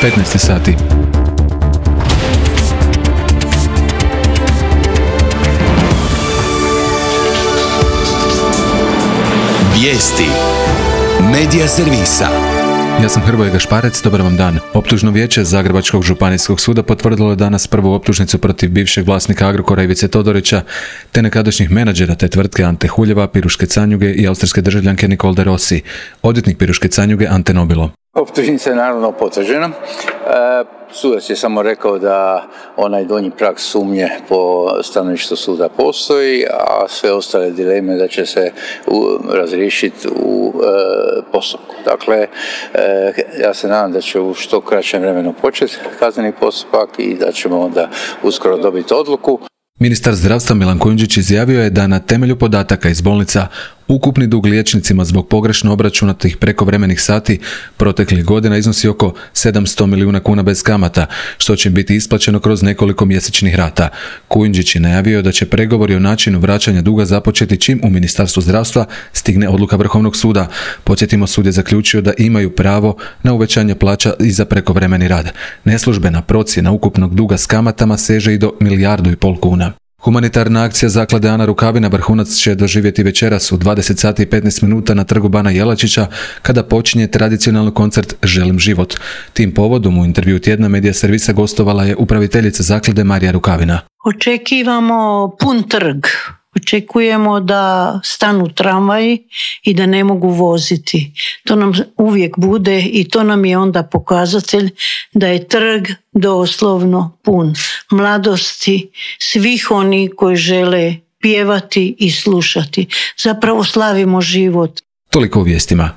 15 sati. Vijesti Medija servisa. Ja sam Hrvoje Gašparec, dobar vam dan. Optužno vijeće Zagrebačkog županijskog suda potvrdilo je danas prvu optužnicu protiv bivšeg vlasnika Agrokora Ivice Todorića, te nekadašnjih menadžera te tvrtke Ante Huljeva, Piruške Canjuge i austrijske državljanke Nicole de Rossi. Odvjetnik Piruške Canjuge Ante Nobilo. Optužnica je naravno potvrđena. Sudac je samo rekao da onaj donji prag sumnje po stanovištu suda postoji, a sve ostale dileme da će se razriješiti u postupku. Dakle, ja se nadam da će u što kraćem vremenu početi kazneni postupak i da ćemo onda uskoro dobiti odluku. Ministar zdravstva Milan Kujundžić izjavio je da na temelju podataka iz bolnica ukupni dug liječnicima zbog pogrešno obračunatih prekovremenih sati proteklih godina iznosi oko 700 milijuna kuna bez kamata, što će biti isplaćeno kroz nekoliko mjesečnih rata. Kujundžić je najavio da će pregovori o načinu vraćanja duga započeti čim u Ministarstvu zdravstva stigne odluka Vrhovnog suda. Podsjetimo, sud je zaključio da imaju pravo na uvećanje plaća i za prekovremeni rad. Neslužbena procjena ukupnog duga s kamatama seže i do 1,5 milijardu kuna. Humanitarna akcija Zaklade Ana Rukavina vrhunac će doživjeti večeras u 20 sati i 15 minuta na trgu Bana Jelačića, kada počinje tradicionalni koncert Želim život. Tim povodom u intervju tjedna Medija servisa gostovala je upraviteljica zaklade Marija Rukavina. Očekivamo pun trg. Očekujemo da stanu tramvaji i da ne mogu voziti. To nam uvijek bude i to nam je onda pokazatelj da je trg doslovno pun mladosti, svih oni koji žele pjevati i slušati. Zapravo slavimo život. Toliko u vijestima.